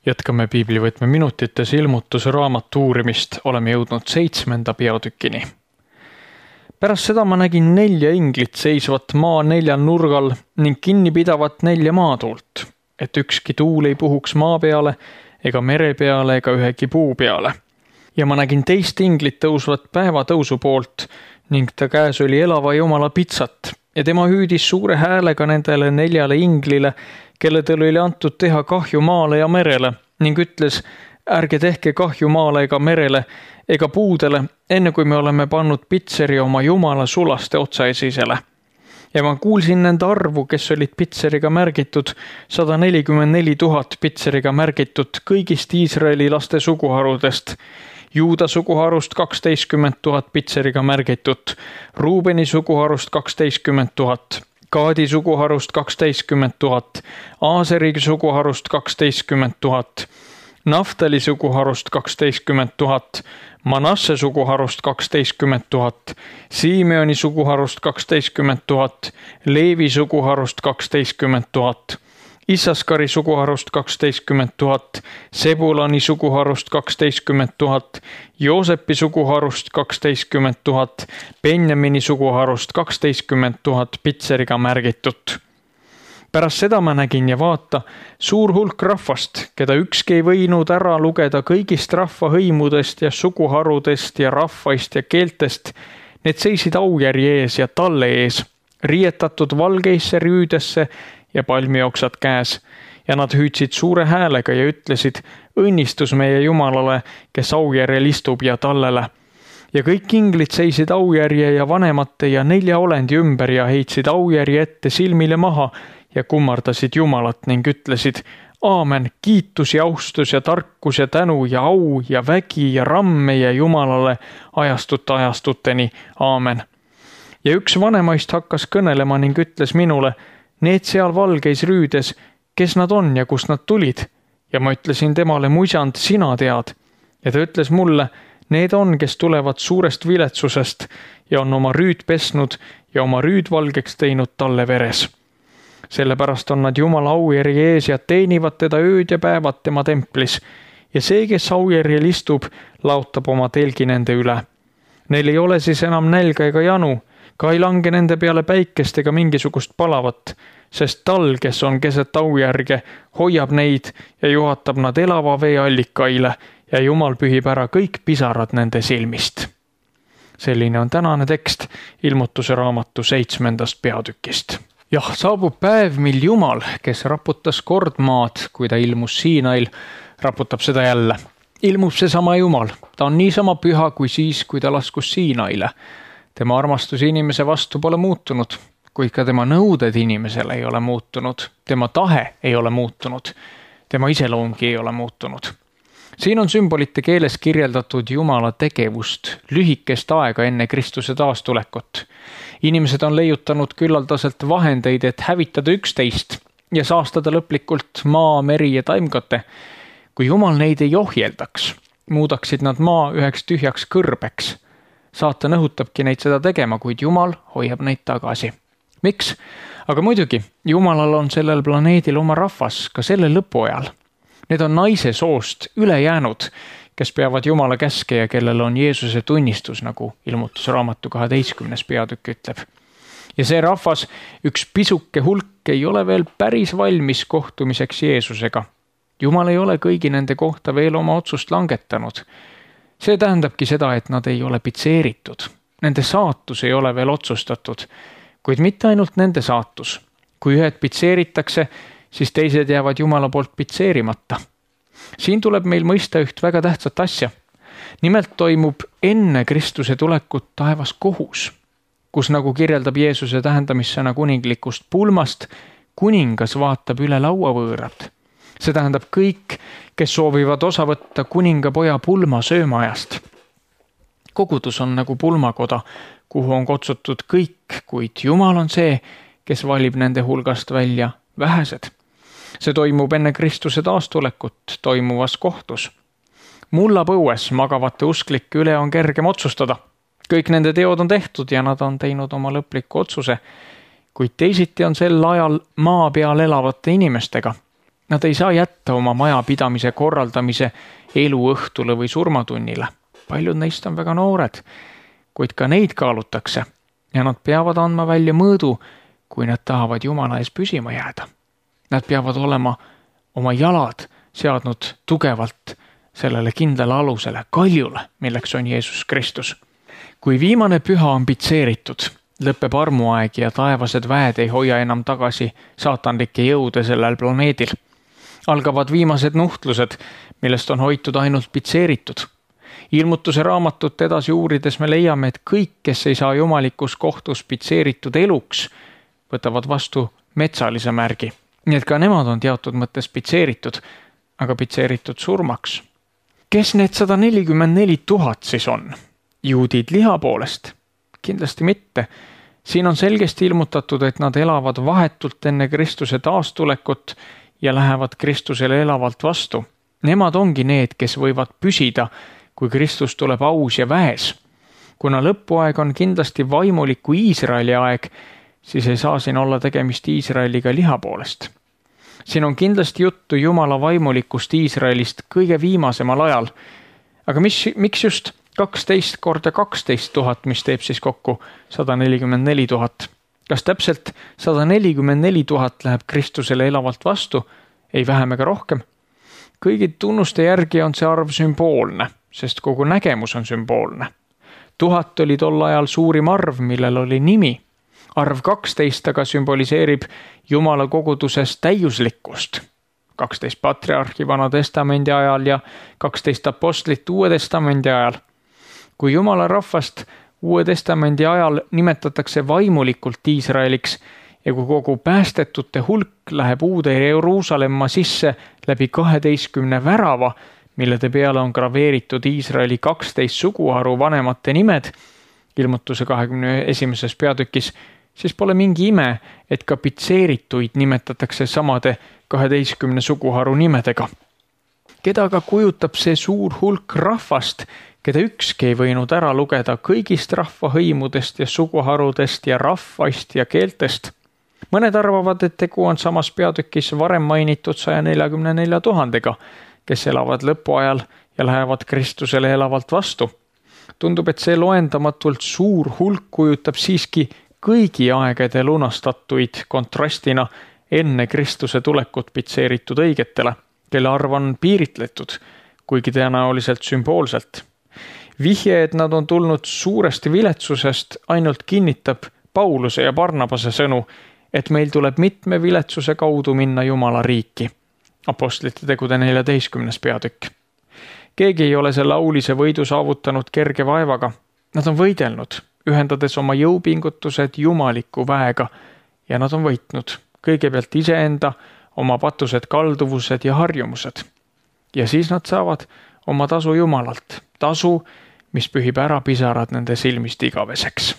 Jätkame piiblivõtme minutites ilmutuse raamatu uurimist, oleme jõudnud 7. peatükini. Pärast seda ma nägin 4 inglit seisvat maa 4 nurgal ning kinni pidavat 4 maatuult, et ükski tuul ei puhuks maa peale ega mere peale ega ühegi puu peale. Ja ma nägin teist inglit tõusvat päevatõusu poolt ning ta käes oli elava Jumala pitsat ja tema hüüdis suure häälega nendele 4 inglile, kelledel oli antud teha kahju maale ja merele ning ütles, ärge tehke kahju maale ega merele ega puudele, enne kui me oleme pannud pitseri oma Jumala sulaste otsaesisele. Ja ma kuulsin nende arvu, kes olid pitseriga märgitud, 144 000 pitseriga märgitud kõigist Iisraeli laste suguharudest, Juuda suguharust 12 000 pitseriga märgitud, Ruubeni suguharust 12 000, Gaadi suguharust 12 000, Aaseri suguharust 12 000, Naftali suguharust 12 000, Manasse suguharust 12 000, Simeoni suguharust 12 000, Leevi suguharust 12 000, Issaskari suguharust 12 000, Sebulani suguharust 12 000, Joosepi suguharust 12 000, Benjamini suguharust 12 000 pitseriga märgitud. Pärast seda ma nägin ja vaata, suur hulk rahvast, keda ükski ei võinud ära lugeda kõigist rahvahõimudest ja suguharudest ja rahvaist ja keeltest, need seisid aujärje ees ja talle ees, riietatud valgeisse rüüdesse ja palmioksad käes, ja nad hüüdsid suure häälega ja ütlesid, õnnistus meie Jumalale, kes aujärjel istub ja tallele. Ja kõik inglid seisid aujärje ja vanemate ja 4 olendi ümber ja heitsid aujärje ette silmile maha ja kummardasid Jumalat ning ütlesid, aamen, kiitus ja austus ja tarkus ja tänu ja au ja vägi ja ramm meie Jumalale ajastuteni, aamen. Ja üks vanemaist hakkas kõnelema ning ütles minule, need seal valgeis rüüdes, kes nad on ja kust nad tulid? Ja ma ütlesin temale, muisand, sina tead. Ja ta ütles mulle, need on, kes tulevad suurest viletsusest ja on oma rüüd pesnud ja oma rüüd valgeks teinud talle veres. Sellepärast on nad Jumala aujärje ees ja teenivad teda ööd ja päevad tema templis. Ja see, kes aujärjel istub, laotab oma telgi nende üle. Neil ei ole siis enam nälga ega janu, ka ei lange nende peale päikest ega mingisugust palavat, sest tal, kes on keset aujärge, hoiab neid ja juhatab nad elava vee allikaile ja Jumal pühib ära kõik pisarad nende silmist. Selline on tänane tekst ilmutuse raamatu 7. peatükist. Jah, saabub päev, mil Jumal, kes raputas kord maad, kui ta ilmus Siinail, raputab seda jälle. Ilmub seesama Jumal, ta on niisama püha kui siis, kui ta laskus Siinaile. Tema armastus inimese vastu pole muutunud, kuid ka tema nõuded inimesele ei ole muutunud. Tema tahe ei ole muutunud. Tema iseloomgi ei ole muutunud. Siin on sümbolite keeles kirjeldatud Jumala tegevust lühikest aega enne Kristuse taastulekut. Inimesed on leiutanud küllaldaselt vahendeid, et hävitada üksteist ja saastada lõplikult maa, meri ja taimkate. Kui Jumal neid ei ohjeldaks, muudaksid nad maa üheks tühjaks kõrbeks. Saatan õhutabki neid seda tegema, kuid Jumal hoiab neid tagasi. Miks? Aga muidugi, Jumalal on sellel planeedil oma rahvas ka selle lõpuajal. Need on naise soost üle jäänud, kes peavad Jumala käske ja kellel on Jeesuse tunnistus, nagu ilmutuse raamatu 12. peatükk ütleb. Ja see rahvas, üks pisuke hulk, ei ole veel päris valmis kohtumiseks Jeesusega. Jumal ei ole kõigi nende kohta veel oma otsust langetanud. See tähendabki seda, et nad ei ole pitseeritud. Nende saatus ei ole veel otsustatud, kuid mitte ainult nende saatus. Kui ühed pitseeritakse, siis teised jäävad Jumala poolt pitseerimata. Siin tuleb meil mõista üht väga tähtsat asja. Nimelt toimub enne Kristuse tulekut taevas kohus, kus nagu kirjeldab Jeesuse tähendamissõna kuninglikust pulmast, kuningas vaatab üle lauavõõrad. See tähendab kõik, kes soovivad osa võtta kuningapoja pulma söömaajast. Kogudus on nagu pulmakoda, kuhu on kutsutud kõik, kuid Jumal on see, kes valib nende hulgast välja vähesed. See toimub enne Kristuse taastulekut toimuvas kohtus. Mullapõues magavate usklike üle on kergem otsustada. Kõik nende teod on tehtud ja nad on teinud oma lõpliku otsuse, kuid teisiti on sel ajal maa peal elavate inimestega. Nad ei saa jätta oma majapidamise korraldamise eluõhtule või surmatunnile. Paljud neist on väga noored, kuid ka neid kaalutakse ja nad peavad andma välja mõõdu, kui nad tahavad Jumala ees püsima jääda. Nad peavad olema oma jalad seadnud tugevalt sellele kindlale alusele, kaljule, milleks on Jeesus Kristus. Kui viimane püha on pitseeritud, lõpeb armuaeg ja taevased väed ei hoia enam tagasi saatanlikke jõude sellel planeedil. Algavad viimased nuhtlused, millest on hoitud ainult pitseeritud. Ilmutuse raamatut edasi uurides me leiame, et kõik, kes ei saa jumalikus kohtus pitseeritud eluks, võtavad vastu metsalise märgi. Nii et ka nemad on teatud mõttes pitseeritud, aga pitseeritud surmaks. Kes need 144 000 siis on? Juudid liha poolest? Kindlasti mitte. Siin on selgesti ilmutatud, et nad elavad vahetult enne Kristuse taastulekut ja lähevad Kristusele elavalt vastu. Nemad ongi need, kes võivad püsida, kui Kristus tuleb aus ja väes. Kuna lõpuaeg on kindlasti vaimuliku Iisraeli aeg, siis ei saa siin olla tegemist Iisraeliga liha poolest. Siin on kindlasti juttu Jumala vaimulikust Iisraelist kõige viimasemal ajal. Aga miks just 12 korda 12 000, mis teeb siis kokku 144 000? Kas täpselt 144 000 läheb Kristusele elavalt vastu? Ei vähem ega rohkem. Kõigi tunnuste järgi on see arv sümboolne, sest kogu nägemus on sümboolne. 1000 oli tol ajal suurim arv, millel oli nimi. Arv 12 aga sümboliseerib Jumala koguduses täiuslikkust. 12 patriarhi Vana Testamendi ajal ja 12 apostlit Uue Testamendi ajal. Kui Jumala rahvast Uue Testamendi ajal nimetatakse vaimulikult Iisraeliks ja kui kogu päästetute hulk läheb uude Jeruusalemma sisse läbi 12 värava, millede peale on graveeritud Iisraeli 12 suguharu vanemate nimed, Ilmutuse 21. peatükis, siis pole mingi ime, et ka pitseerituid nimetatakse samade 12 suguharu nimedega. Keda aga kujutab see suur hulk rahvast, keda ükski ei võinud ära lugeda kõigist rahvahõimudest ja suguharudest ja rahvaist ja keeltest? Mõned arvavad, et tegu on samas peatükis varem mainitud 144 000-ga, kes elavad lõpuajal ja lähevad Kristusele elavalt vastu. Tundub, et see loendamatult suur hulk kujutab siiski kõigi aegade lunastatuid kontrastina enne Kristuse tulekut pitseeritud õigetele, kelle arv on piiritletud, kuigi tõenäoliselt sümboolselt. Vihje, et nad on tulnud suuresti viletsusest, ainult kinnitab Pauluse ja Barnabase sõnu, et meil tuleb mitme viletsuse kaudu minna Jumala riiki. Apostlite tegude 14. peatükk. Keegi ei ole selle aulise võidu saavutanud kerge vaevaga. Nad on võidelnud, ühendades oma jõupingutused jumaliku väega ja nad on võitnud kõigepealt iseenda, oma patused kalduvused ja harjumused. Ja siis nad saavad oma tasu Jumalalt, tasu, mis pühib ära pisarad nende silmist igaveseks.